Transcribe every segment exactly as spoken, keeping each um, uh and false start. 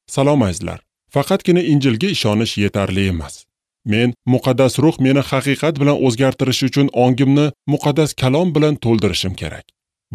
Salom azizlar. Faqatgina Injilga ishonish yetarli emas. Men muqaddas ruh meni haqiqat bilan o'zgartirishi uchun ongimni muqaddas kalom bilan to'ldirishim kerak.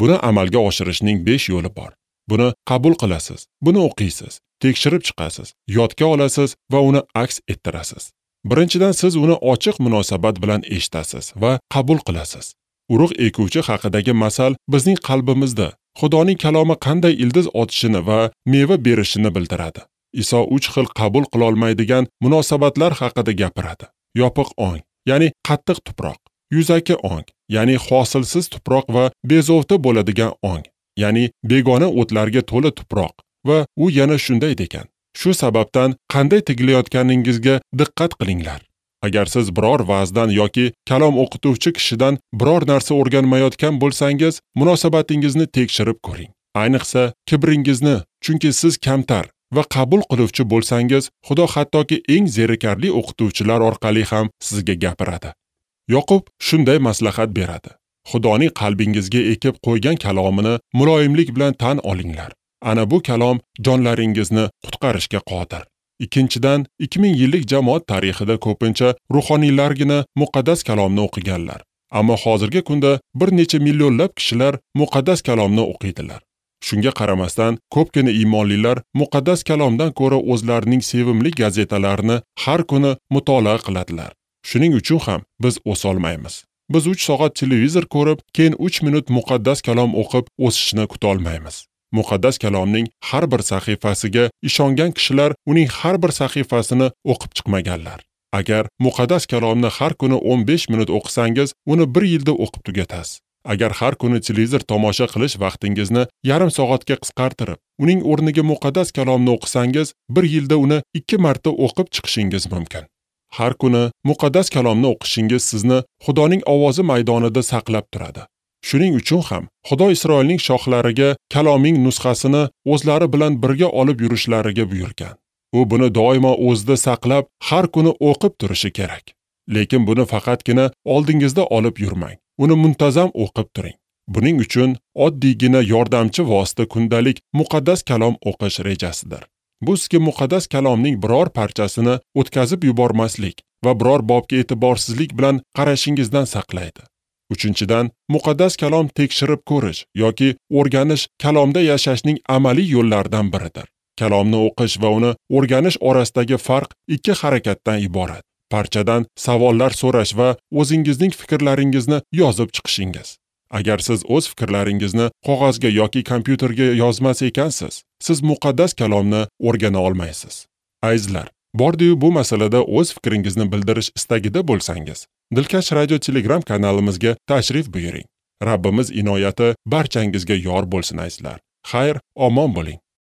Buni amalga oshirishning besh yo'li bor. Buni qabul qilasiz, buni o'qiysiz, tekshirib chiqasiz, yodga olasiz va uni aks ettirasiz. Birinchidan, siz uni ochiq munosabat bilan eshitasiz va qabul qilasiz. Urug' ekuvchi haqidagi masal bizning qalbimizda Xudoning kalomi qanday ildiz otishini va meva berishini bildiradi. Iso uch xil qabul qila olmaydigan munosabatlar haqida gapiradi. Yopiq ong, ya'ni qattiq tuproq, yuzaki ong, ya'ni hosilsiz tuproq va bezovta bo'ladigan ong, ya'ni begona o'tlarga to'la tuproq. Va u yana shunday degan: shu sababdan qanday tigilayotganingizga diqqat qilinglar. Agar siz biror va'zdan yoki kalom o'qituvchi kishidan biror narsa o'rganmayotgan bo'lsangiz, munosabatingizni tekshirib ko'ring. Ayniqsa kibringizni, chunki siz kamtar va qabul qiluvchi bo'lsangiz, Xudo hattoki eng zerikarli o'qituvchilar orqali ham sizga gapiradi. Yoqub shunday maslahat beradi: Xudoning qalbingizga ekib qo'ygan kalomini muloyimlik bilan tan olinglar. Ana bu kalom jonlaringizni qutqarishga qodir. Ikkinchidan, ikki ming yillik jamoat tarixida ko'pincha ruhoniylargina muqaddas kalomni o'qiganlar. Ammo hozirgi kunda bir necha millionlab kishilar muqaddas kalomni o'qiydilar. Shunga qaramasdan, ko'pgina iymonlilar muqaddas kalomdan ko'ra o'zlarining sevimli gazetalarini har kuni mutolaa qiladilar. Shuning uchun ham biz o'solmaymiz. Biz uch soat televizor ko'rib, keyin uch minut muqaddas kalom o'qib o'sishni kuta olmaymiz. Muqaddas kalomning har bir sahifasiga ishongan kishilar uning har bir sahifasini o'qib chiqmaganlar. Agar muqaddas kalomni har kuni o'n besh minut o'qisangiz, uni bir yilda o'qib tugatasiz. Agar har kuni televizor tomosha qilish vaqtingizni yarim soatga qisqartirib, uning o'rniga muqaddas kalomni o'qisangiz, bir yilda uni ikki marta o'qib chiqishingiz mumkin. Har kuni muqaddas kalomni o'qishingiz sizni Xudoning ovozi maydonida saqlab turadi. Shuning uchun ham Xudo Isroilning shohlariga kaloming nusxasini o'zlari bilan birga olib yurishlariga buyurgan. U buni doimo o'zida saqlab, har kuni o'qib turishi kerak. Lekin buni faqatgina oldingizda olib yurmang. Uni muntazam o'qib turing. Buning uchun oddiygina yordamchi vosita kundalik muqaddas kalom o'qish rejasidir. Bu sizga muqaddas kalomning biror parchasini o'tkazib yubormaslik va biror bobga e'tiborsizlik bilan qarashingizdan saqlaydi. Uchinchidan, muqaddas kalom tekshirib ko'rish yoki o'rganish kalomda yashashning amaliy yo'llaridan biridir. Kalomni o'qish va uni o'rganish orasidagi farq ikki harakatdan iborat. Parchadan savollar so'rash va o'zingizning fikrlaringizni yozib chiqishingiz. Agar siz o'z fikrlaringizni qog'ozga yoki kompyuterga yozmas ekansiz, siz muqaddas kalomni o'rgana olmaysiz. Azizlar, bordi-yu bu masalada o'z fikringizni bildirish istagida bo'lsangiz, Dilkash Radio Telegram kanalimizga tashrif buyuring. Rabbimiz inoyati barchangizga yor bo'lsin azizlar. Xayr, omon bo'ling.